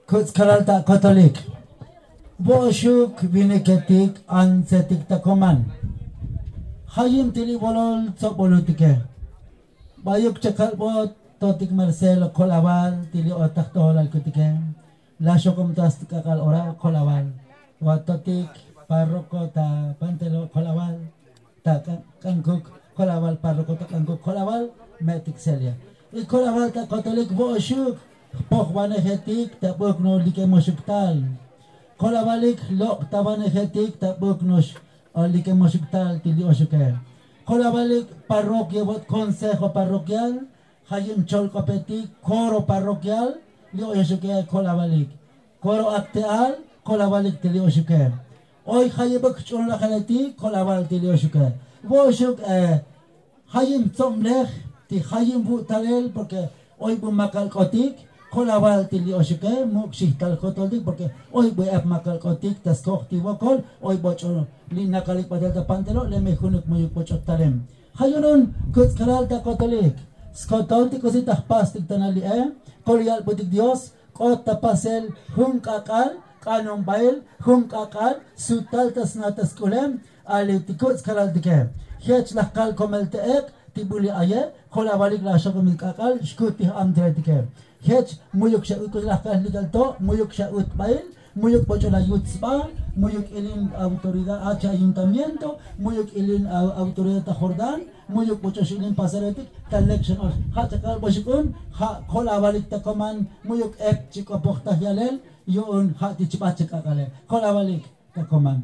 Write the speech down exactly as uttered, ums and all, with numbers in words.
Kuts' kalal ta kotolik. Bo'oxuk viniketik antsetik ta koman. Jayim ti li bolol tsobolutike. Bayuk chakalbot totik marcelo kol'aval ti li otaj tojolalkutike. Laxokom ta stk'ak'al ora kol'aval. Vatotik parroko ta pantelo kol'aval ta k'ankuk kol'aval parroko ta k'ankuk kol'aval. Me'tik selia y kol'aval ta kotolik vo'oxuk jpojvanejetik ta buk no'ox likemoxuk tal. Kol'avalik jlok' ta vanejetik ta buk no'ox likemoxuk tal ti li oxuke. Kol'avalik parrokia vot konsejo parrokial. Jayim cholk'opetik koro parrokial li oxuke kol'avalik. Koro akte'al kol'avalik ti li oxuke. Oy jayibuk jch'unlajeletik kol'aval ti li oxuke. Vo'oxuk jayim tsoblej ti jayim vu'talel porke oy bu makalk'otik. Kol'aval ti li oxuke muk' xijtal jotoltik porke oy bu ep makalk'otik ta skoj ti vokol. Oy boch'o li nakalik batel ta pantelo' leme junuk muyuk boch'o talem. Jayunun kuts' kalal ta kotolik. Skotol ti k'usi ta jpastik ta nali'e. Kol yalbutik dios k'ot ta pasel jun k'ak'al k'anonbail jun k'ak'al sutal ta sna ta sk'ulem. Ali ti kuts' kalaltike jech laj kal komel te ek' ti buli aye. Kol'avalik laj xokomil k'ak'al xkut ti j'amtiletike. Jech muyuk xa utk'uy laj kal lik'al to' muyuk xa utbail muyuk boch'o la yut sba. Muyuk ilin autoridad achi ayuntamiento muyuk ilin autoridad ta jordán. Muyuk boch'o xilin pasaretik ta lek xan ox ja' chakal boxuk'un. Ja' kol'avalik ta koman muyuk ep chik'opoj taj yalel. Yu'un ja' ti chibach chak'ak'ale kol'avalik ta koman.